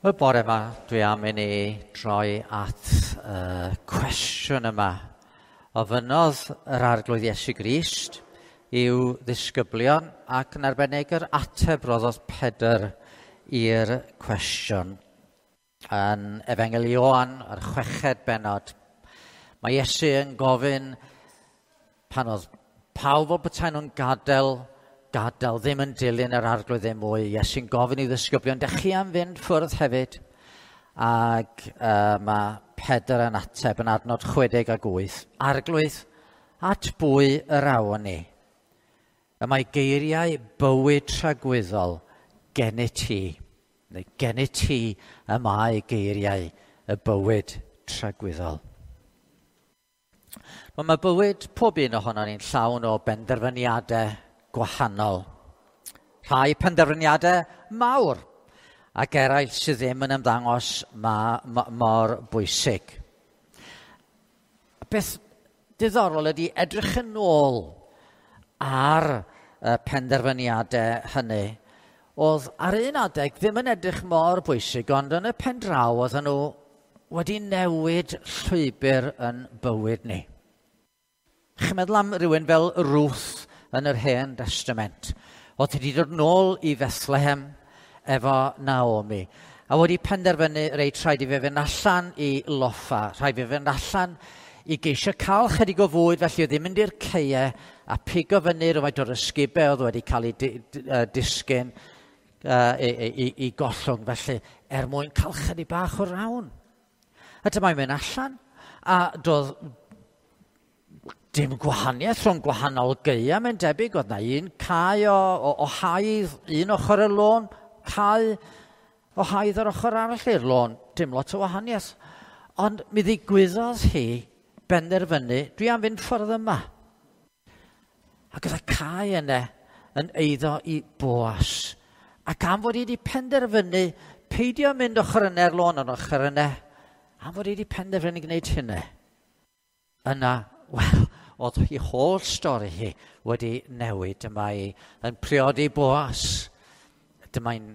Y bore yma, dwi am i ni droi at y cwestiwn yma. Ofynnodd yr Arglwydd Iesu Grist i'w ddisgyblion ac yn arbennig yr ateb roddodd Pedr i'r cwestiwn. Yn Efengyl Ioan, yr chweched bennod, mae Iesu yn gofyn pan oedd pawb o betaen nhw'n gadael, ddim yn dilyn yr Arglwydd ddim mwy. Iesu'n gofyn i ddisgyblion, dych chi am fynd ffwrdd hefyd? Ac mae Pedr yn ateb yn adnod 68. Arglwydd, at bwy yr awn ni? Y mae geiriau bywyd tragwyddol gennyt ti. Neu gennyt ti y mae geiriau y bywyd tragwyddol. Wel, mae bywyd pob un ohonon ni'n llawn o benderfyniadau gwahanol. Rhai penderfyniadau mawr ac eraill sydd ddim yn ymddangos mor bwysig. Beth diddorol ydy edrych yn ôl ar y penderfyniadau hynny. Oedd ar un adeg ddim yn edrych mor bwysig, ond yn y pen draw oedden nhw wedi newid llwybr yn bywyd ni. Chi'n meddwl am rhywun fel Ruth yn yr Hen Testament. Oedd wedi dod nôl i Bethlehem efo Naomi. A wedi penderfynu, reit, rhaid i fe fynd allan i loffa, rhaid i fe fynd allan i geisio cael chydig o fwyd, felly oedd hi'n mynd i'r ceie a pigo fyny rhywfaint o'r ysgubau oedd wedi cael ei disgyn i gollwng, felly er mwyn cael chydig bach o rawn. A dyma'n mynd allan, a doedd dim gwahaniaeth rhwng gwahanol gaeau, mae'n debyg, oedd na un cae o haidd, un ochr y lôn, cae o haidd ar ochr arall i'r lôn, dim lot o wahaniaeth. Ond mi ddigwyddodd hi benderfynu, dwi am fynd ffordd yma. Ac oedd y cae yna yn eiddo i Boas. Ac am fod hi wedi penderfynu peidio mynd ochr yna i'r lôn ond ochr yna, am fod hi wedi penderfynu gwneud hynny, yna, wel, oedd hi holl stori hi wedi newid. Dyma hi yn priodi Boas. Dyma hi'n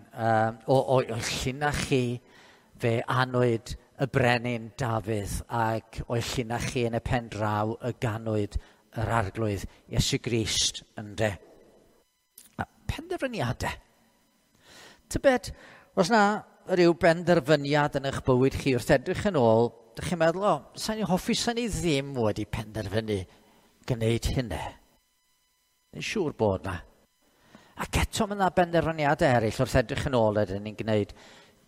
o llinach chi fe anwyd y brenin Dafydd, ac o'i llinach chi yn y pen draw y ganwyd yr Arglwydd Iesu Grist, ynde. A penderfyniadau. Tybed, os na rhyw benderfyniad yn eich bywyd chi wrth edrych yn ôl, dych chi'n meddwl, o, sa'n i hoffi, sa'n i ddim wedi penderfynu gwneud hynny. Yn siŵr bod na. Ac eto mae yna benderfyniadau eraill wrth edrych yn ôl ydyn ni'n gwneud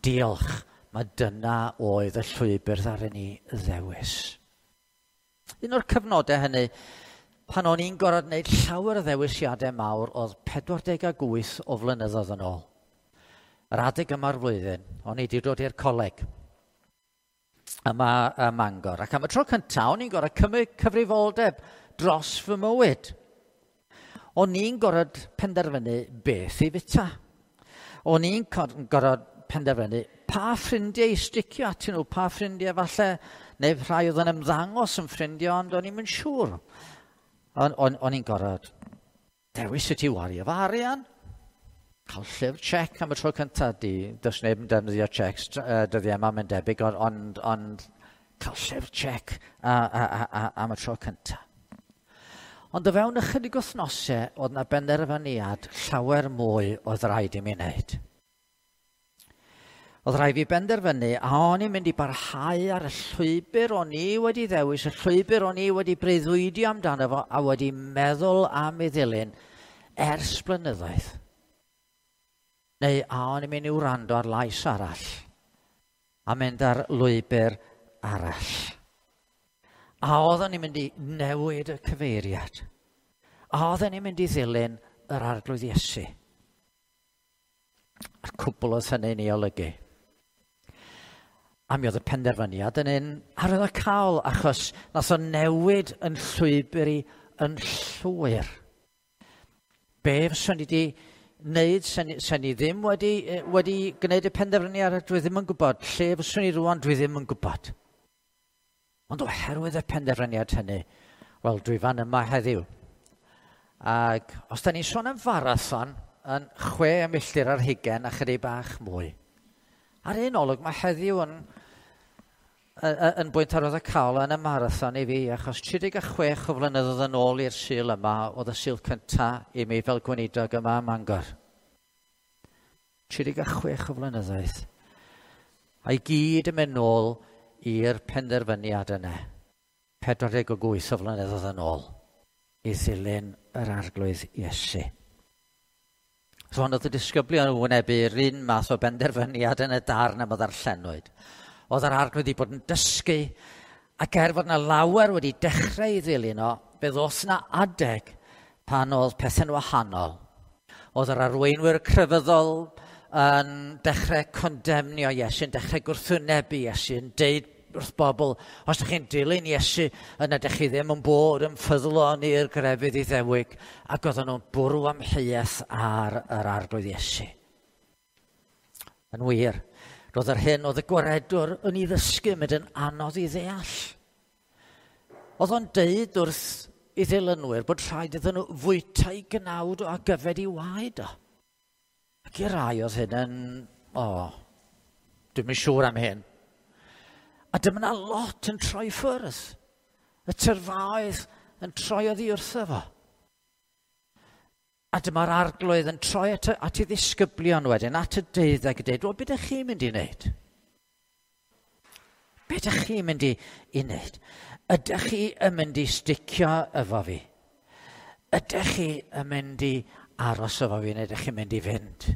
diolch, mae dyna oedd y llwybr ddaru ni ddewis. Un o'r cyfnodau hynny, pan o'n i'n gorfod gwneud llawer o ddewisiadau mawr, oedd 48 o flynyddoedd yn ôl. Yr adeg yma'r flwyddyn, o'n i wedi dod i'r coleg yma ym Mangor. Ac am y tro cyntaf, o'n i'n gorfod cymryd cyfrifoldeb dros fy mywyd. O'n i'n gorfod penderfynu beth i fita. O'n i'n gorfod penderfynu pa ffrindiau i sticio atyn nhw, pa ffrindiau falle, neu rhai oedd yn ymddangos yn ffrindiau, ond o'n i'm yn siŵr. O'n i'n gorfod dewis sut i wario fy arian. Cael llyfr check am y tro cyntaf, does neb yn defnyddio checks dyddiau yma, mae'n debyg, ond cael llyfr check am y tro cyntaf. Ond o fewn ychydig wythnosau, oedd na benderfyniad llawer mwy oedd rhaid i mi wneud. Oedd rhaid fi benderfynu a o'n i'n mynd i barhau ar y llwybr o'n i wedi ddewis, y llwybr o'n i wedi breuddwydio amdano fo a wedi meddwl am ei ddilyn ers blynyddoedd. Neu a o'n i'n mynd i wrando ar lais arall a mynd ar lwybr arall. A oedden ni'n mynd i newid y cyfeiriad. A oedden ni'n mynd i ddilyn yr Arglwydd Iesu. A'r cwbl oedd hynny'n ei olygu. A mi oedd y penderfyniad yn un arwyddocaol, achos nath o newid yn llwybr i yn llwyr. Be fyswn i wedi wneud, sen i ddim wedi gwneud y penderfyniad, dwi ddim yn gwybod. Lle fyswn i rŵan, dwi ddim yn gwybod. Ond oherwydd y penderfyniad hynny, wel, dwi fan yma heddiw. Ac os da ni'n sôn am farathon, yn 6 milltir ar hugain a chydig bach mwy, Ar un olwg, mae heddiw yn bwynt arwyddocaol yn y marathon i fi, achos 36 o flynyddoedd yn ôl i'r Sul yma, oedd y Sul cyntaf i mi fel gweinidog yma ym Mangor. 36 o flynyddoedd. A i gyd yn mynd nôl i'r penderfyniad yna. 48 o flynyddoedd yn ôl i ddilyn yr Arglwydd Iesu. Rwan oedd y disgyblion yn wynebu'r un math o benderfyniad yn y darn am y ddarllenwyd. Oedd yr Arglwydd wedi bod yn dysgu, ac er fod yna lawer wedi dechrau i ddilyn o, fe ddoth yna adeg pan oedd pethau'n wahanol. Oedd yr arweinwyr crefyddol yn dechrau condemnio Iesu, yn dechrau gwrthwynebu Iesu, yn deud wrth bobl, os ydych chi'n dilyn Iesu, yna ydych chi ddim yn bod yn ffyddlon i'r grefydd Iddewig, ac oedden nhw'n bwrw amheuaeth ar yr Arglwydd Iesu. Yn wir, roedd yr hyn oedd y gwaredwr yn ei ddysgu mynd yn anodd i ddeall. Oedd o'n deud wrth i ddilynwyr bod rhaid iddyn nhw fwyta i gnawd o ac yfed i waed o. Ac i rai oedd hyn yn, dwi'm yn siŵr am hyn. A dyma 'na lot yn troi ffwrdd. Y tyrfaoedd yn troi oddi wrtho fo. A dyma'r Arglwydd yn troi at ei ddisgyblion wedyn, at y deuddeg, a dweud, wel, beth ydych chi'n mynd i wneud? Beth ydych chi'n mynd i wneud? Ydych chi yn mynd i sticio efo fi? Ydych chi yn mynd i aros efo fi, neu ydych chi'n mynd i fynd?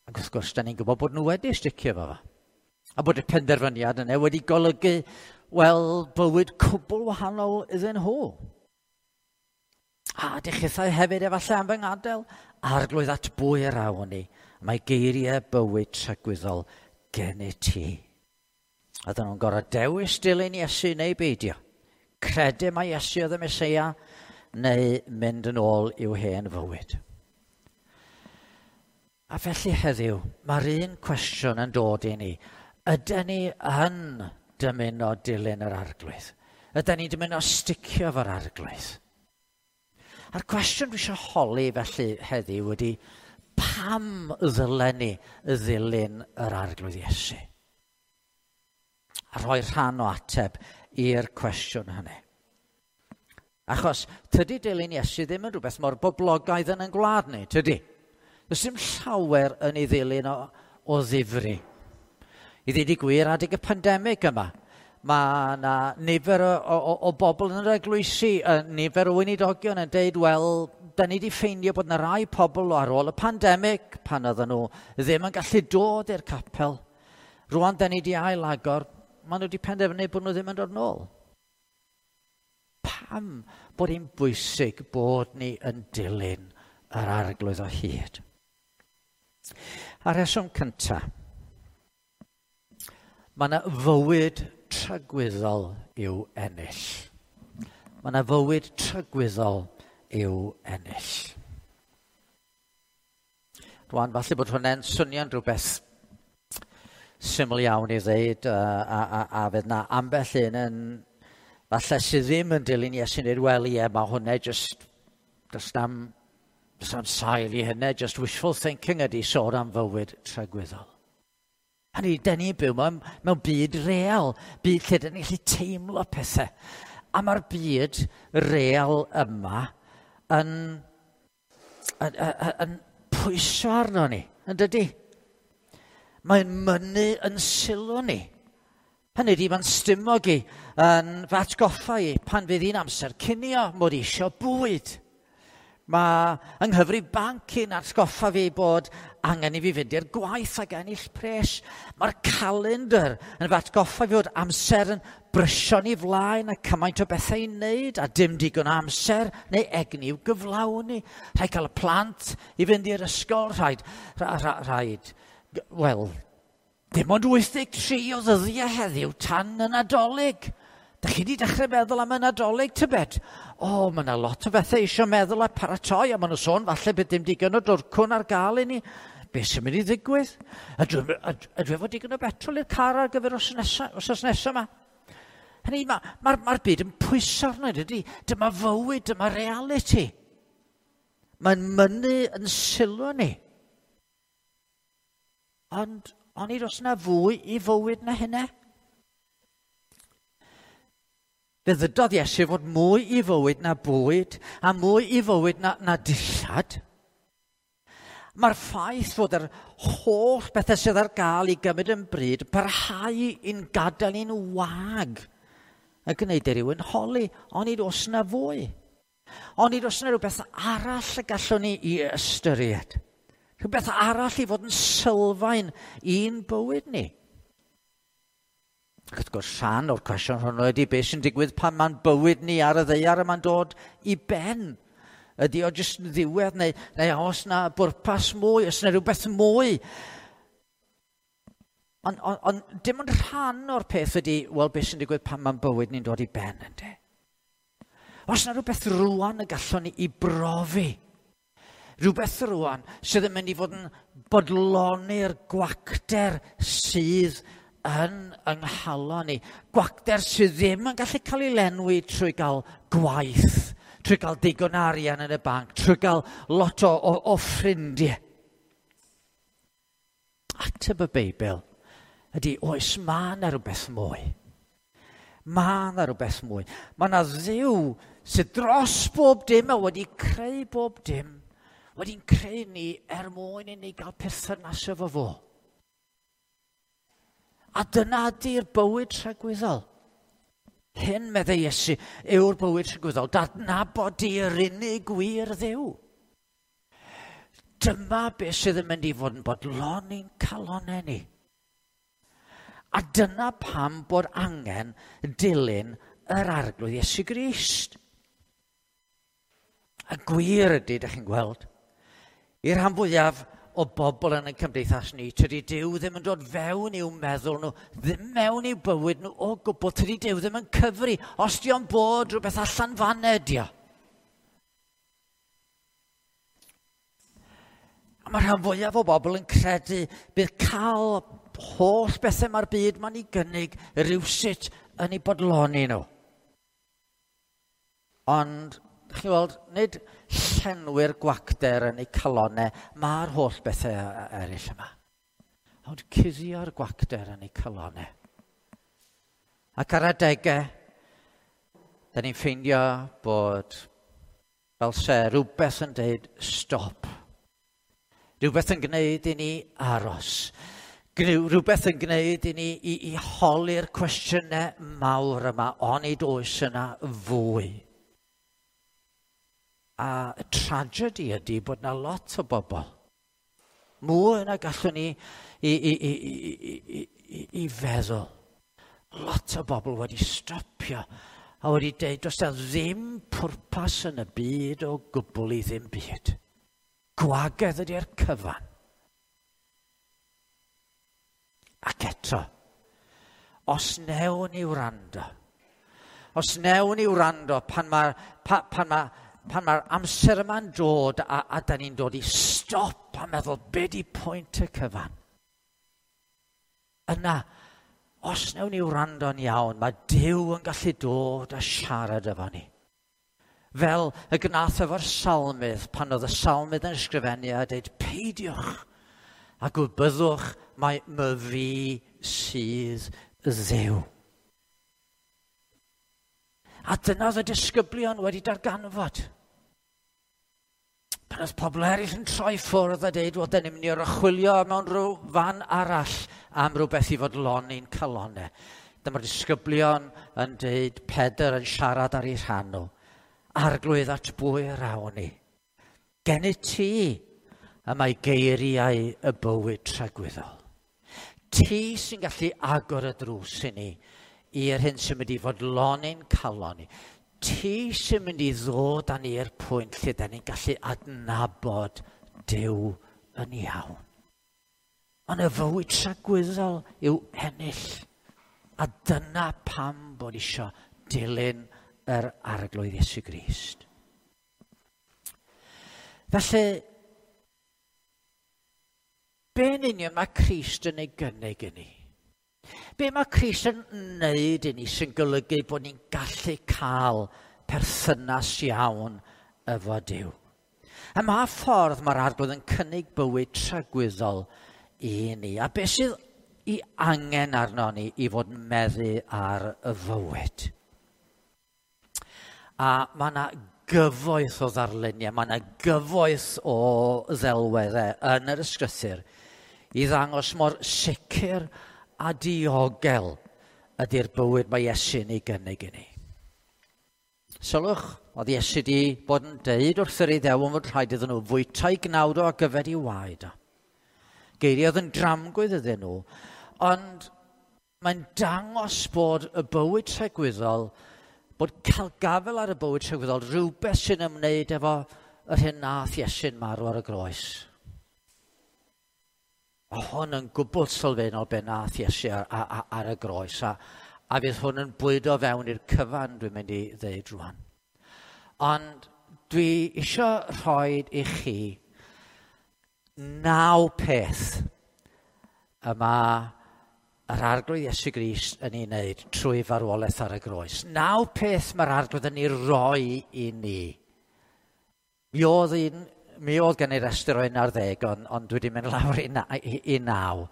Ac wrth gwrs, da ni'n gwybod bod nhw wedi sticio efo fo. A bod y penderfyniad yna wedi golygu, wel, bywyd cwbl wahanol iddyn nhw. A ydych chithau hefyd efallai am fy ngadael? Arglwydd, at bwy yr awn ni? Mae geiriau bywyd tragwyddol gennyt ti. Oedden nhw'n gorfod dewis dilyn Iesu neu beidio. Credu mai Iesu oedd y Meseia neu mynd yn ôl i'w hen fywyd. A felly heddiw, mae'r un cwestiwn yn dod i ni. Ydyn ni yn dymuno dilyn yr Arglwydd? Ydyn ni'n dymuno sticio efo'r Arglwydd? A'r cwestiwn dwi eisiau holi felly heddiw ydy, pam ddylen ni ddilyn yr Arglwydd Iesu? A rhoi rhan o ateb i'r cwestiwn hynny. Achos tydi dilyn Iesu ddim yn rhywbeth mor boblogaidd yn ein gwlad ni, tydi? Does dim llawer yn ei ddilyn o ddifri. I ddweud y gwir, adeg y pandemig yma, mae yna nifer o bobl yn yr eglwysi, nifer o weinidogion yn deud, wel, da ni wedi ffeindio bod yna rai pobl ar ôl y pandemig, pan oedden nhw ddim yn gallu dod i'r capel. Rwan da ni wedi ailagor, maen nhw wedi penderfynu bod nhw ddim yn dod nôl. Pam bod hi'n bwysig bod ni yn dilyn yr Arglwydd o hyd? A'r rheswm cyntaf, mae yna fywyd tragwyddol i'w ennill. Mae yna fywyd tragwyddol i'w ennill. Rwan, falle bod hwnna'n swnio'n rhywbeth syml iawn i ddeud, a fydd na ambell un yn, falle sydd ddim yn dilyn Iesu'n dweud, wel ie, mae hwnna just, does na'm sail i hynny, just wishful thinking ydy sôn am fywyd tragwyddol. Hynny, da ni'n byw mewn byd real, byd lle da ni'n gallu teimlo pethau. A mae'r byd real yma yn pwyso arno ni, yn dydy? Mae'n mynnu yn sylw ni. Hynny ydy, mae'n stumog i yn fy atgoffa i pan fydd hi'n amser cinio, mod i eisiau bwyd. Mae yng nghyfrif banc i'n atgoffa fi bod angen i fi fynd i'r gwaith ac ennill pres. Mae'r calendar yn fy atgoffa fi bod amser yn brysio'n ei flaen a cymaint o bethau i wneud a dim digon o amser neu egni i'w gyflawni. Rhaid cael y plant i fynd i'r ysgol, rhaid, wel, dim ond 83 o ddyddiau heddiw tan y Nadolig. Da chi wedi dechrau meddwl am y Nadolig, tybed? O, mae yna lot o bethau eisiau meddwl a paratoi, a maen nhw sôn falle bydd dim digon o dwrcwn ar gael i ni. Be sy'n mynd i ddigwydd? Ydw efo digon o betrol i'r car ar gyfer wythnos nesaf yma? Hynny, mae'r byd yn pwyso arno, dydy? Dyma fywyd, dyma reality. Mae'n mynnu yn sylw ni. Ond onid oes 'na fwy i fywyd na hynna? Fe ddydodd Iesu fod mwy i fywyd na bwyd a mwy i fywyd na dillad. Mae'r ffaith fod yr holl bethau sydd ar gael i gymryd yn bryd parhau i'n gadael ni'n wag a gwneud i rywun holi, onid oes 'na fwy? Onid oes 'na rhywbeth arall y gallwn ni i ystyried? Rhywbeth arall i fod yn sylfaen i'n bywyd ni? Ac wrth gwrs, rhan o'r cwestiwn hwnnw ydy beth sy'n digwydd pan mae'n bywyd ni ar y ddaear a mae'n dod i ben. Ydy o jyst yn ddiwedd neu oes na bwrpas mwy, oes na rhywbeth mwy? Ond dim ond rhan o'r peth ydy, wel, beth sy'n digwydd pan mae'n bywyd ni'n dod i ben, yndê? Oes na rhywbeth rwan y gallwn ni i brofi? Rhywbeth rwan sydd yn mynd i fod yn bodloni'r gwacter sydd yn yng nghalon ni. Gwacter sydd ddim yn gallu cael ei lenwi trwy gael gwaith, trwy gael digon arian yn y banc, trwy gael lot o ffrindiau. Ateb y Beibl ydy, oes, mae yna rhywbeth mwy. Mae yna rhywbeth mwy. Mae yna Dduw sydd dros bob dim a wedi creu bob dim, wedi'n creu ni er mwyn i ni gael perthynas efo fo. A dyna ydy'r bywyd tragwyddol. Hyn, meddai Iesu, yw'r bywyd tragwyddol. Dadnabod di'r unig gwir Dduw. Dyma beth sydd yn mynd i fod yn bodloni'n calonnau ni. A dyna pam bod angen dilyn yr Arglwydd Iesu Grist. Y gwir ydy, ydych chi'n gweld, i'r rhan fwyaf o bobl yn y cymdeithas ni, tydi Duw ddim yn dod fewn i'w meddwl nhw, ddim mewn i'w bywyd nhw o gwbl, tydi Duw ddim yn cyfri, os di o'n bod rhywbeth allan fan ydi o. A mae rhan fwyaf o bobl yn credu bydd cael holl bethau mae'r byd mae'n ei gynnig rywsut yn ei bodloni nhw. Ond, chi'n weld, nid llenwi'r gwacter yn eu calonnau, mae'r holl bethau eraill yma. Ond cuddio'r gwacter yn eu calonnau. Ac ar adegau, da ni'n ffeindio bod fel se rhywbeth yn dweud stop. Rhywbeth yn gwneud i ni aros. Rhywbeth yn gwneud i ni i holi'r cwestiynau mawr yma, onid oes yna fwy. A y tragedy ydy bod yna lot o bobl. Mwy na gallwn ni i feddwl. Lot o bobl wedi stopio a wedi dweud does 'na ddim pwrpas yn y byd o gwbl i ddim byd. Gwagedd ydy'r cyfan. Ac eto, os newn ni wrando, pan mae'r amser yma'n dod a da ni'n dod i stop a meddwl, be di pwynt y cyfan? Yna, os newn ni wrando'n iawn, mae Duw yn gallu dod a siarad efo ni. Fel y gnath efo'r salmydd, pan oedd y salmydd yn ysgrifennu a dweud, peidiwch a gwybyddwch mai myfi sydd Dduw. A dyna oedd y disgyblion wedi darganfod. Pan oedd pobl eraill yn troi ffwrdd a dweud, wel, dyn ni'n mynd i archwilio mewn rhyw fan arall am rhywbeth i fodloni'n calonnau. Dyma'r disgyblion yn dweud, Pedr yn siarad ar ei rhan nhw. Arglwydd, at bwy yr awn ni? Gennyt ti y mae geiriau y bywyd tragwyddol. Ti sy'n gallu agor y drws i ni i'r hyn sy'n mynd i fodloni'n calon ni. Ti sy'n mynd i ddod â ni i'r pwynt lle da ni'n gallu adnabod Duw yn iawn. Ond y fywyd tragwyddol yw ennill. A dyna pam bod isio dilyn yr Arglwydd Iesu Grist. Felly, be yn union mae Crist yn ei gynnig i ni? Be mae Crist yn wneud i ni sy'n golygu bod ni'n gallu cael perthynas iawn efo Duw? A mae ffordd mae'r Arglwydd yn cynnig bywyd tragwyddol i ni. A beth sydd i angen arno ni i fod yn meddu ar y fywyd. A mae yna gyfoeth o ddarluniau, mae yna gyfoeth o ddelweddau yn yr ysgrythur i ddangos mor sicr a diogel ydy'r bywyd mae Iesu'n ei gynnig i ni. Sylwch, oedd Iesu wedi bod yn deud wrth yr Iddewon fod rhaid iddyn nhw fwyta'u gnawd o ac yfed i waed o. Geiriau oedd yn dramgwydd iddyn nhw, ond mae'n dangos bod y bywyd tregwyddol, bod cael gafael ar y bywyd tregwyddol, rhywbeth sy'n ymwneud efo yr hyn nath Iesu'n marw ar y groes. Mae hwn yn gwbl sylfaenol be nath Iesu ar y groes, a fydd hwn yn bwydo fewn i'r cyfan dwi'n mynd i ddeud rwan. Ond dwi eisiau rhoi i chi 9 peth y mae yr Arglwydd Iesu Grist yn ei wneud trwy farwolaeth ar y groes. 9 peth mae'r Arglwydd yn ei roi i ni. Mi oedd gen i restr o 11, ond dwi wedi mynd lawr i 9,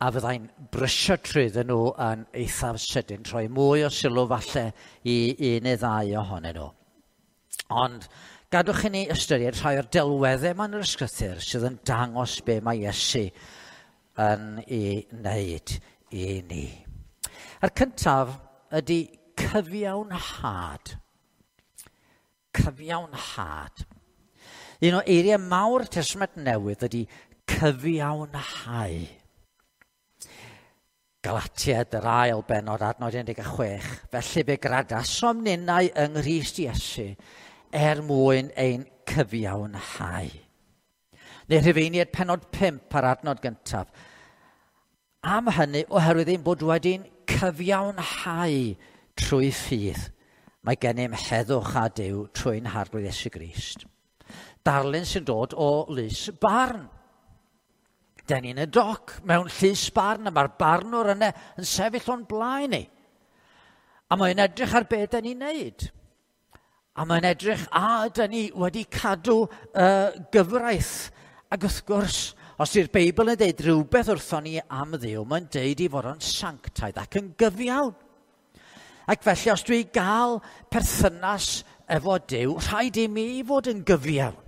a fyddai'n brysio trwyddyn nhw yn eithaf sydyn, troi mwy o sylw falle i un neu ddau ohonyn nhw. Ond gadwch i ni ystyried rhai o'r delweddau yma yn yr ysgrythur sydd yn dangos be mae Iesu yn ei wneud i ni. A'r cyntaf ydy cyfiawnhad. Cyfiawnhad. Un o eiriau mawr Testament Newydd ydy cyfiawnhau. Galatiaid yr ail bennod adnod 16. Felly fe gradasom ninnau yng Nghrist Iesu er mwyn ein cyfiawnhau. Neu Rhufeiniaid pennod 5 ar adnod gyntaf. Am hynny, oherwydd ein bod wedi'n cyfiawnhau trwy ffydd, mae gennym heddwch â Duw trwy'n Harglwydd Iesu Grist. Darlun sy'n dod o lys barn. Den ni'n y doc mewn llys barn, a mae'r barnwr yna yn sefyll o'n blaen ni. A mae'n edrych ar be den ni'n neud. A mae'n edrych a ydyn ni wedi cadw gyfraith. Ac wrth gwrs, os yw'r Beibl yn deud rhywbeth wrthon ni am Dduw, mae'n deud i fod o'n sanctaidd ac yn gyfiawn. Ac felly, os dwi gael perthynas efo Duw, rhaid i mi fod yn gyfiawn.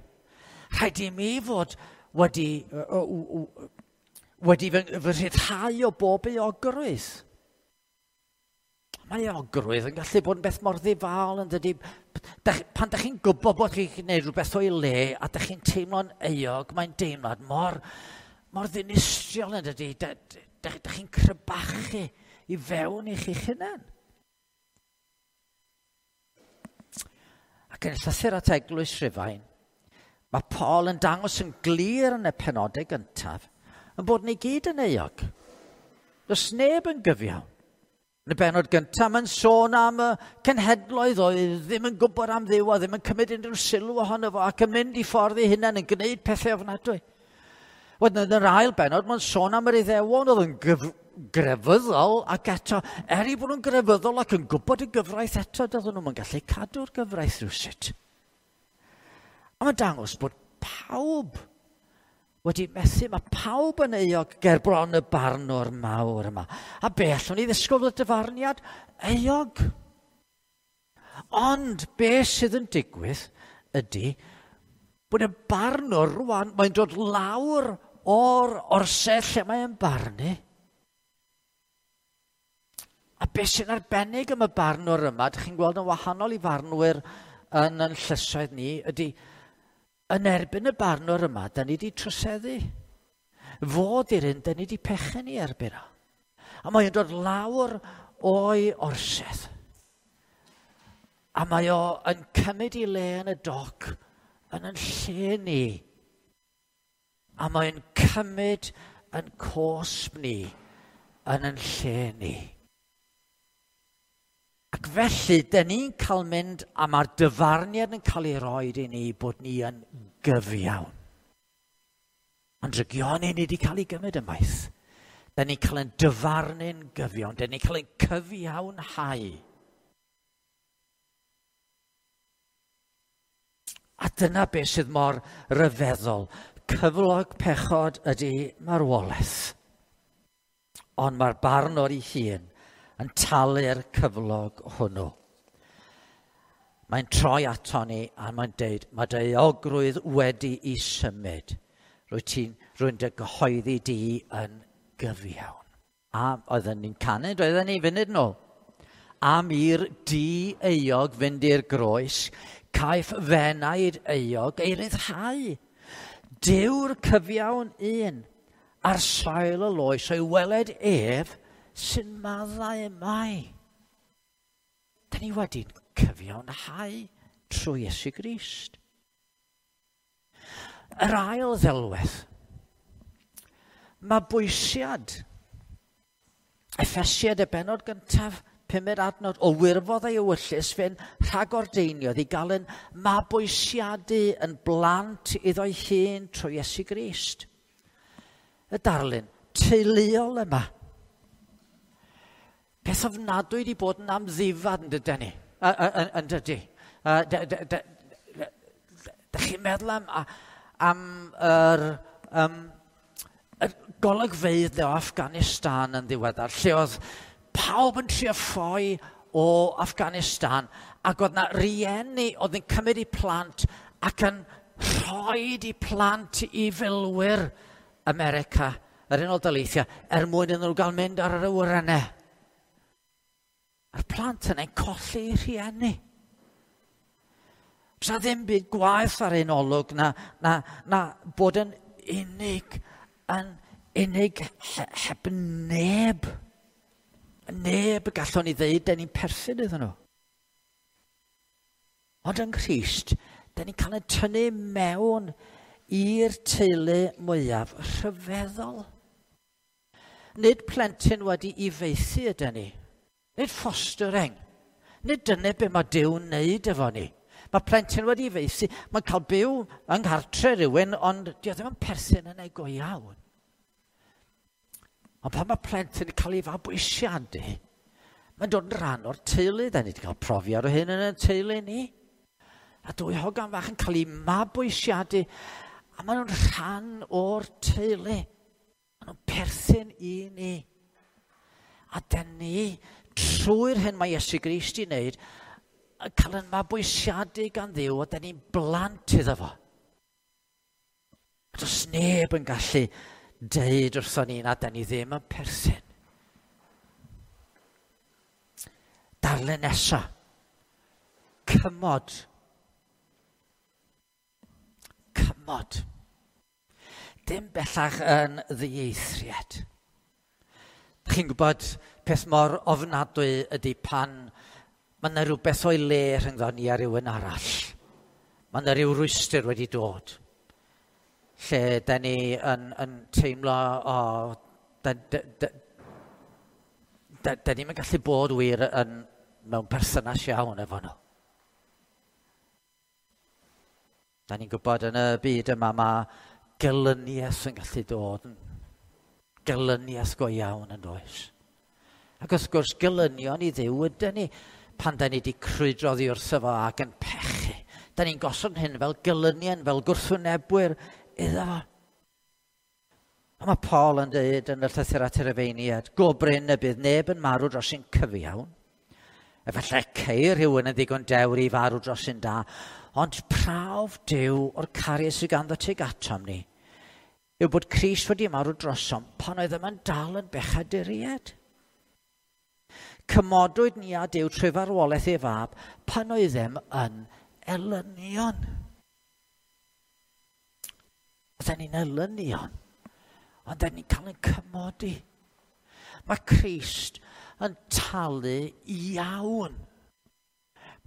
Rhaid i mi fod wedi fy rhyddhau o bob euogrwydd. Mae euogrwydd yn gallu bod yn beth mor ddifaol yn dydy. Pan dych chi'n gwybod bod chi'n gwneud rhywbeth o'i le a dych chi'n teimlo'n euog, mae'n deimlad mor ddinistriol yn dydy. Dych chi'n crybachu i fewn i chi'ch hunan. Ac yn y llythyr at Eglwys Rhufain, mae Paul yn dangos yn glir yn y penodau gyntaf yn bod ni gyd yn euog. Does neb yn gyfiawn. Yn y bennod gyntaf, mae'n sôn am y cenhedloedd oedd ddim yn gwybod am Dduw a ddim yn cymryd unrhyw sylw ohono fo ac yn mynd i ffordd ei hunain yn gwneud pethau ofnadwy. Wedyn yn yr ail bennod, mae'n sôn am yr Iddewon oedd yn grefyddol ac eto, er i bod nhw'n grefyddol ac yn gwybod y gyfraith eto, doedden nhw'n gallu cadw'r gyfraith rhywsut. A mae'n dangos bod pawb wedi methu, mae pawb yn euog ger bron y barnwr mawr yma. A be allwn ni ddisgwyl y dyfarniad? Euog. Ond be sydd yn digwydd ydy bod y barnwr rwan, mae'n dod lawr o'r orsedd lle mae'n barnu. A be sy'n arbennig am y barnwr yma, dych chi'n gweld yn wahanol i farnwyr yn yn llysoedd ni, ydy yn erbyn y barnwr yma, da ni wedi troseddu. Fod i'r un, da ni wedi pechu ni erbyn o. A mae'n dod lawr o'i orsedd. A mae o yn cymryd i le yn y doc, yn yn lle ni. A mae'n cymryd yn cosb ni, yn yn lle ni. Ac felly, dyn ni'n cael mynd, a mae'r dyfarniad yn cael ei roed i ni bod ni yn gyfiawn. Ond drygioni ni wedi cael ei gymryd ymaith. Dyn ni'n cael ein dyfarnu'n gyfiawn. Dyn ni'n cael ein cyfiawnhau. A dyna beth sydd mor ryfeddol. Cyflog pechod ydy marwolaeth. Ond mae'r barnwr ei hun yn talu'r cyflog hwnnw. Mae'n troi ato ni a mae'n deud, mae dy euogrwydd wedi i symud. Rwy'n dy gyhoeddi di yn gyfiawn. A oedden ni'n canu, doedden ni funud nôl. Am i'r di-euog fynd i'r groes, caiff fenaid euog ei ryddhau. Dyw'r cyfiawn un ar sail y loes o'i weled ef sy'n maddau mai. Da ni wedi'n cyfiawnhau trwy Iesu Grist. Yr ail ddelwedd, mabwysiad. Effesiad y benod gyntaf, pumed adnod, o wirfodd ei ewyllys fe'n rhagordeiniodd i gael yn mabwysiadu yn blant iddo'i hun trwy Iesu Grist. Y darlun teuluol yma. Peth ofnadwy wedi bod yn amddifad yn dydyn ni. Yn dydy. Da chi'n meddwl am yr golygfeydd o Afghanistan yn ddiweddar, lle oedd pawb yn trio ffoi o Afghanistan, ac oedd na rieni oedd yn cymryd eu plant ac yn rhoi eu plant i filwyr America, yr Unol Daleithiau, er mwyn iddyn nhw gael mynd ar yr awyrennau. A'r plant yna'n colli eu rhieni. Sa ddim byd gwaeth ar ein olwg na bod yn unig, heb neb. Neb y gallwn ni ddeud, da ni'n perthyn iddyn nhw. Ond yng Nghrist, da ni'n cael ein tynnu mewn i'r teulu mwyaf rhyfeddol. Nid plentyn wedi ei faethu ydyn ni. Nid fostering. Nid dyna be mae Duw'n wneud efo ni. Mae plentyn wedi ei faethu, mae'n cael byw yng nghartre rhywun, ond dio ddim yn perthyn yn ei go iawn. Ond pan mae plentyn yn cael ei fabwysiadu, mae'n dod yn rhan o'r teulu. Da ni wedi cael profiad o hyn yn y teulu ni. A dwy hogan fach yn cael ei mabwysiadu, a maen nhw'n rhan o'r teulu. Maen nhw'n perthyn i ni. A da ni, trwy'r hyn mae Iesu Grist i wneud, yn cael yn mabwysiadu gan Dduw, a da ni'n blant iddo fo. A does neb yn gallu deud wrthon ni na da ni ddim yn perthyn. Darlun nesa. Cymod. Cymod. Dim bellach yn ddieithriad. Chi'n gwybod peth mor ofnadwy ydy pan mae yna rhywbeth o'i le rhyngddo ni a rhywun arall. Mae yna rhyw rwystr wedi dod. Lle da ni yn teimlo, o, da ni'n gallu bod wir yn, mewn perthynas iawn efo nhw. Da ni'n gwybod yn y byd yma mae gelyniaeth yn gallu dod. Gelyniaeth go iawn yn does. Ac wrth gwrs, gelynion i Dduw ydyn ni pan da ni wedi crwydro oddi wrtho fo ac yn pechu. Da ni'n gosod hyn fel gelynion, fel gwrthwynebwyr iddo fo. A mae Paul yn dweud yn y llythyr at yr Rufeiniaid, go brin y bydd neb yn marw dros un cyfiawn. Efallai ceir rhywun yn ddigon dewr i farw dros un da, ond prawf Duw o'r cariad sydd ganddo tuag atom ni yw bod Crist wedi marw drosom pan oedd yma'n dal yn bechaduriaid. Cymodwyd ni â Duw trwy farwolaeth ei fab pan oeddem yn elynion. Oedden ni'n elynion, ond oedden ni'n cael ein cymodi. Mae Crist yn talu iawn.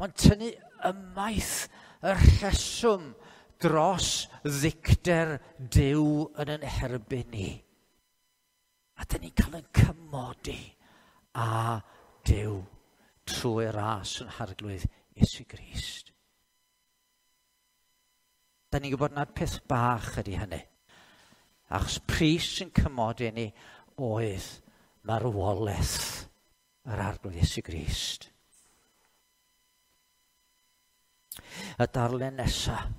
Mae'n tynnu ymaith y rheswm dros ddicter Duw yn ein herbyn ni. A dyn ni'n cael ein cymodi â Duw trwy ras yn Harglwydd Iesu Grist. Da ni'n gwybod nad peth bach ydy hynny. Achos pris sy'n cymodi ni oedd marwolaeth yr Arglwydd Iesu Grist. Y darlun nesaf,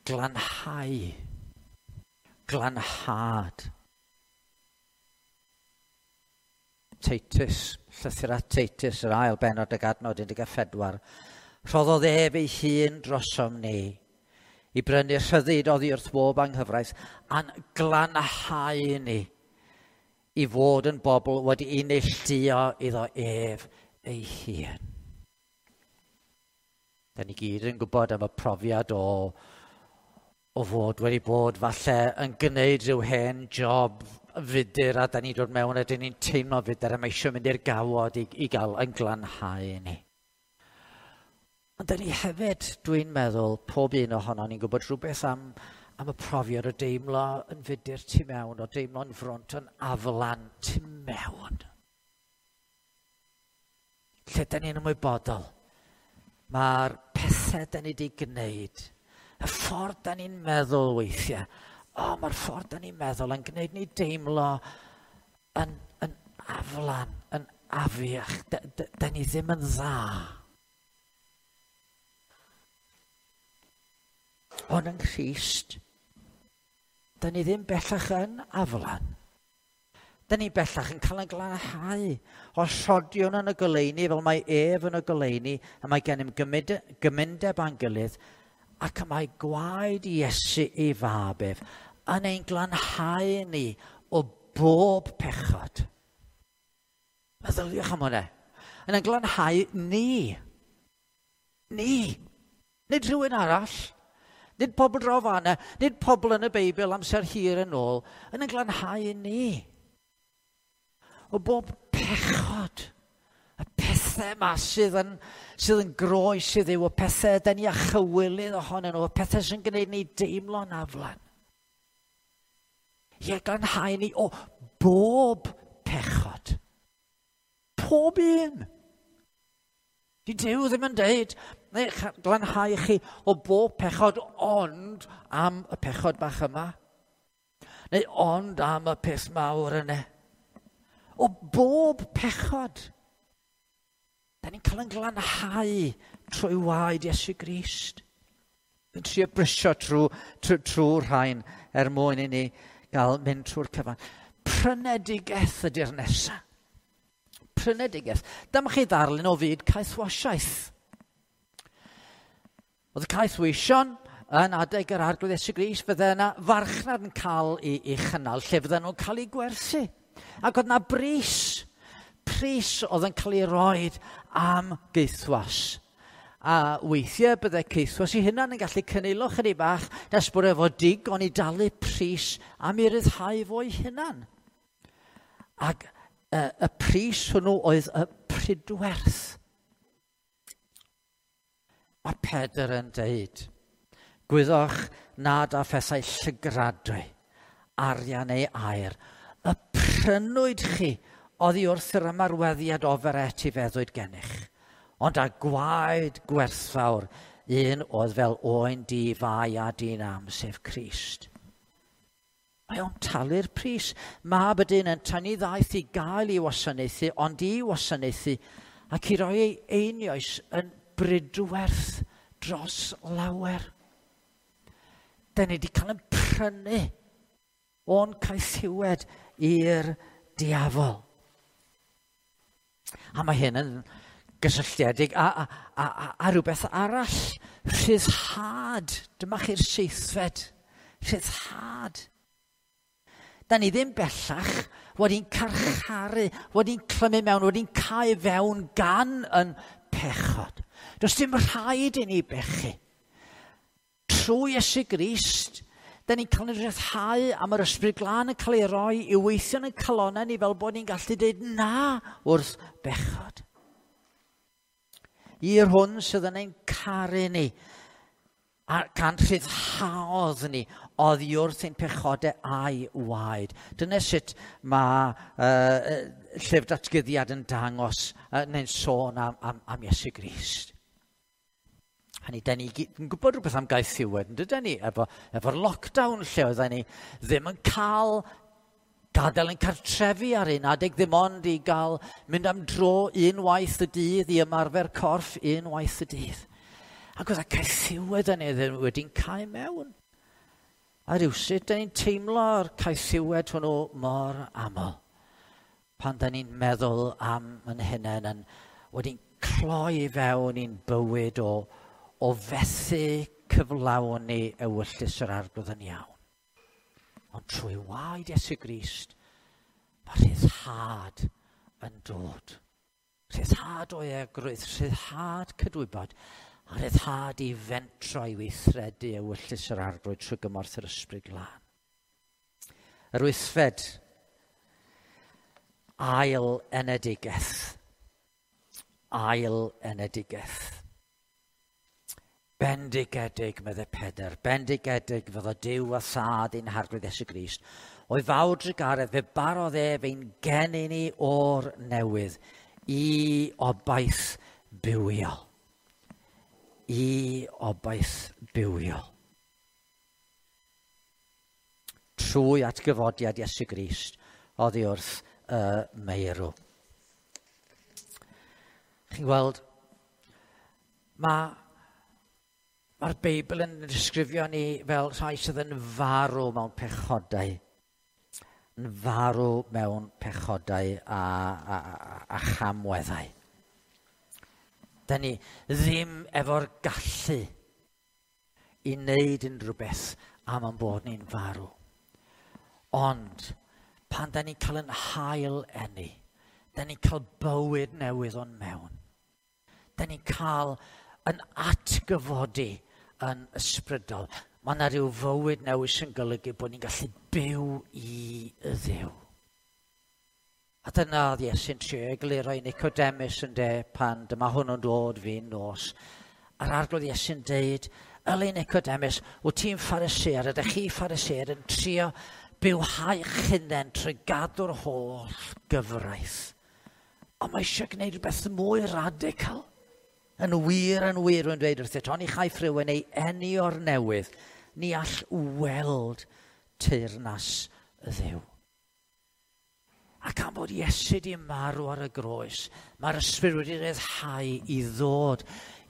glanhau. Glanhad. Titus, llythyr at Titus, yr ail bennod ag adnod 14. Rhoddodd ef ei hun drosom ni i brynu rhyddid oddi wrth bob anghyfraith a'n glanhau ni i fod yn bobl wedi'i neilltuo iddo ef ei hun. Da ni gyd yn gwybod am y profiad o fod wedi bod falle yn gwneud rhyw hen job fudur a da ni'n dod mewn a da ni'n teimlo fudur a mae eisiau mynd i'r gawod i gael yn glanhau ni. Ond da ni hefyd, dwi'n meddwl, pob un ohono ni'n gwybod rhywbeth am y profiad o deimlo yn fudur tu mewn, o deimlo'n frwnt yn aflan tu mewn. Lle da ni'n ymwybodol, mae'r pethau da ni wedi gwneud, y ffordd da ni'n meddwl weithiau, mae'r ffordd da ni'n meddwl yn gwneud ni deimlo yn aflan, yn afiach, da ni ddim yn dda. Ond yng Nghrist, da ni ddim bellach yn aflan. Da ni bellach yn cael ein glanhau o sodion yn y goleuni, fel mae ef yn y goleuni, a mae gennym gymundeb â'n gilydd, ac y mae gwaed Iesu ei fab ef yn ein glanhau ni o bob pechod. Meddyliwch am hwnna. Yn ein glanhau ni. Ni. Nid rhywun arall. Nid pobl draw fan'na, nid pobl yn y Beibl amser hir yn ôl, yn ein glanhau ni. O bob pechod, y pethau yma sydd yn groes i Dduw, y pethau da ni a chywilydd ohonyn nhw, y pethau sy'n gwneud ni deimlo'n aflan. Ie, glanhau ni o bob pechod. Pob un. Di Duw ddim yn deud, neu glanhau chi o bob pechod ond am y pechod bach yma. Neu ond am y peth mawr yna. O bob pechod. Da ni'n cael ein glanhau trwy waed Iesu Grist. Yn trio brysio trwy'r rhain er mwyn i ni gael mynd trwy'r cyfan. Prynedigaeth ydy'r nesaf. Prynedigaeth. Dyma chi ddarlun o fyd caethwasiaeth. Oedd y caethweision yn adeg yr Arglwydd Iesu Grist, fydde yna farchnad yn cael ei chynnal, lle fydden nhw'n cael eu gwerthu. Ac oedd yna bris oedd yn cael ei roed am gaethwas. A weithiau bydde caethwas ei hunan yn gallu cynilo chydig bach nes bod efo digon i dalu pris am ei ryddhau fo'i hunan. Ac y pris hwnnw oedd y pridwerth. Mae Pedr yn deud, gwyddoch nad â phethau llygradwy, arian neu aur, y prynwyd chi oddi wrth yr ymarweddiad ofer etifeddwyd gennych, ond â gwaed gwerthfawr, un oedd fel oen di-fai a di-nam, sef Crist. Mae o'n talu'r pris. Mab y dyn yn tynnu ddaeth i gael ei wasanaethu, ond i wasanaethu ac i roi ei einioes yn bridwerth dros lawer. Da ni wedi cael ein prynu o'n caethiwed i'r diafol. A mae hyn yn gysylltiedig a rhywbeth arall. Rhyddhad. Dyma chi'r seithfed. Rhyddhad. Da ni ddim bellach wedi'n carcharu, wedi'n clymu mewn, wedi'n cau fewn gan yn pechod. Does dim rhaid i ni bechu. Trwy Iesu Grist, da ni'n cael ein rhyddhau am yr Ysbryd Glân yn cael ei roi i weithio yn y calonnau ni fel bod ni'n gallu dweud na wrth bechod. I'r hwn sydd yn ein caru ni, a gan rhyddhaodd ni oddi wrth ein pechodau a'i waed. Dyna sut mae llyfr datguddiad yn dangos neu'n sôn am Iesu Grist. Hynny, da ni yn gwybod rhywbeth am gaethiwed, yn dydyn ni, efo'r lockdown lle oedden ni ddim yn cael gadael yn cartrefi ar un adeg, ddim ond i gael mynd am dro unwaith y dydd, i ymarfer corff unwaith y dydd. Ac oedd y caethiwed yn ei wedi'n cael mewn. A rywsut, da ni'n teimlo'r caethiwed hwnnw mor aml. Pan da ni'n meddwl am yn hunain yn wedi'n cloi fewn i'n bywyd o fethu cyflawni ewyllys yr Arglwydd yn iawn. Ond trwy waed Iesu Grist, mae rhyddhad yn dod. Rhyddhad o euogrwydd, rhyddhad cydwybod, a rhyddhad i fentro i weithredu ewyllys yr Arglwydd trwy gymorth yr Ysbryd Glân. Yr wythfed, ail enedigaeth. Ail enedigaeth. Bendigedig, meddai Pedr, bendigedig fyddo Duw a Thad ein Harglwydd Iesu Grist. O'i fawr drugaredd fe barodd ef ein geni ni o'r newydd i obaith bywiol. I obaith bywiol. Trwy atgyfodiad Iesu Grist oddi wrth y meirw. Chi'n gweld, mae'r Beibl yn disgrifio ni fel rhai sydd yn farw mewn pechodau. Yn farw mewn pechodau a chamweddau. Da ni ddim efo'r gallu i wneud unrhyw beth am ein bod ni'n farw. Ond pan da ni'n cael yn hail eni, da ni'n cael bywyd newydd o'n mewn. Da ni'n cael yn atgyfodi yn ysbrydol. Mae yna rhyw fywyd newydd sy'n golygu bod ni'n gallu byw i y Dduw. A dyna oedd Iesu'n trio egluro i Nicodemus yn de pan dyma hwnnw'n dod fi'n nos. A'r Arglwydd Iesu'n deud, yli Nicodemus, wyt ti'n Pharisead, ydych chi Pharisead yn trio bywhau'ch hunain trwy gadw'r holl gyfraith. Ond mae eisiau gwneud rhywbeth mwy radical. Yn wir, yn wir, rwy'n dweud wrthyt, oni chaiff rhywun ei eni o'r newydd, ni all weld teyrnas y Dduw. Ac am bod Iesu di marw ar y groes, mae'r ysbryd wedi rhyddhau i ddod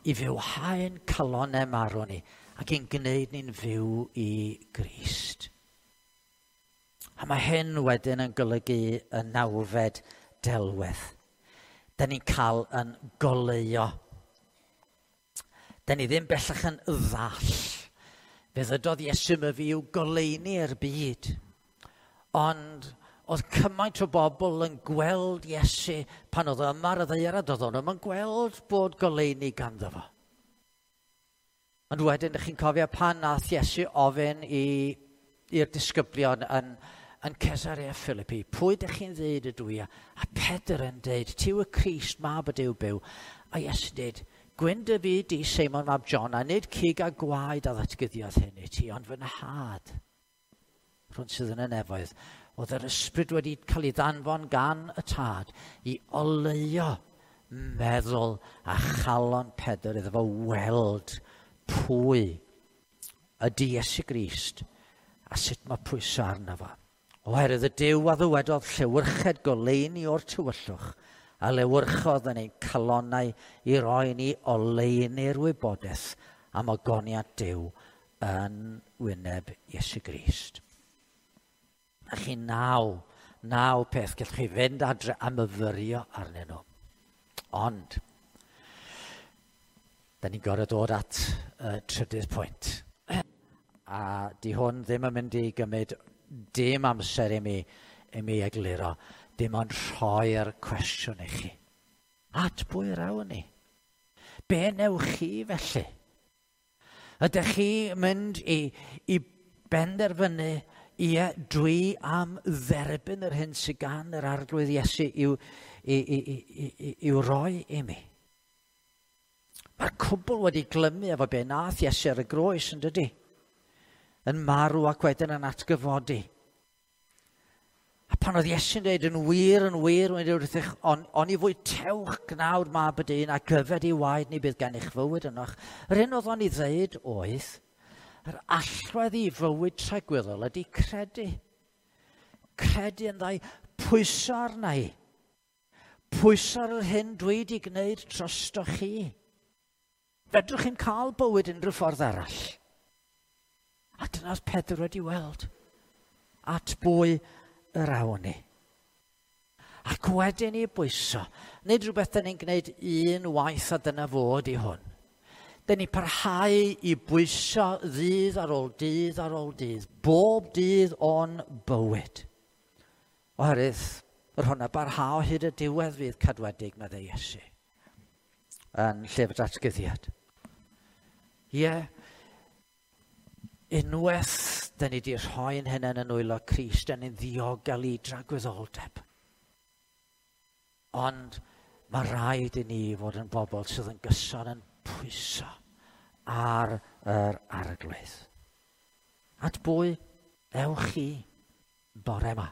i fywhau'n calonnau marw ni ac i'n gwneud ni'n fyw i Grist. A mae hyn wedyn yn golygu y nawfed delwedd. Da ni'n cael yn goleuo. Da ni ddim bellach yn ddall. Fe ddydodd Iesu myfi i'w goleuni i'r byd. Ond oedd cymaint o bobl yn gweld Iesu pan oedd yma ar y ddaear a doedd nhw'm yn gweld bod goleuni ganddo fo. Ond wedyn, ydych chi'n cofio pan nath Iesu ofyn i'r disgyblion yn Caesarea Philippi, pwy ydych chi'n ddeud ydw i? A Pedr yn deud, ti yw y Crist, mab y Duw byw. A Iesu'n deud, gwyn dy fyd di, Seimon mab John, a nid cig a gwaed a ddatguddiodd hyn i ti, ond fy nhad, rhwng sydd yn y nefoedd. Oedd yr ysbryd wedi cael ei ddanfon gan y tad i oleuo meddwl a chalon Pedr iddo fo weld pwy ydy Iesu Grist a sut mae pwyso arno fo. Oherwydd y Duw a ddywedodd llewyrched goleuni o'r tywyllwch a lewyrchodd yn ein calonnau i roi ni oleuni'r wybodaeth am ogoniad Duw yn wyneb Iesu Grist. A chi naw peth, gallwch chi fynd adre a myfyrio arnyn nhw. Ond, da ni'n gorfod dod at y trydydd pwynt. A di hwn ddim yn mynd i gymryd dim amser i mi egluro, dim ond rhoi'r cwestiwn i chi. At bwy yr awn ni? Be newch chi felly? Ydych chi mynd i benderfynu, ie, dwi am dderbyn yr hyn sydd gan yr Arglwydd Iesu i'w roi i mi? Mae'r cwbl wedi glymu efo be nath Iesu ar y groes, yn dydi? Yn marw ac wedyn yn atgyfodi. A pan oedd Iesu'n dweud yn wir, yn wir, wedi wrthych, on i fwytewch gnawd mab y dyn ac yfed i waed ni bydd gennych fywyd ynoch. Yr hyn oedd o'n i ddeud oedd, yr allwedd i fywyd tragwyddol ydy credu. Credu yn ddau, pwyso arna i. Pwyso ar yr hyn dwi wedi gwneud drosto chi. Fedrwch chi'n cael bywyd unrhyw ffordd arall. A dyna oedd Pedr wedi weld. At bwy yr awn ni. Ac wedyn i bwyso. Nid rhywbeth da ni'n gwneud un waith a dyna fod i hwn. Da ni parhau i bwyso ddydd ar ôl dydd ar ôl dydd, bob dydd o'n bywyd. Oherwydd, yr hwnna barhau hyd y diwedd fydd cadwedig, meddai Iesu, yn llyfr datgyddiad. Ie, yeah, unwaith da ni wedi rhoi'n hunain yn nwylo Crist, da ni'n ddiogel i dragwyddoldeb. Ond mae rhaid i ni fod yn bobl sydd yn gyson yn pwyso ar yr arglwydd. At bwy ewch chi bore yma?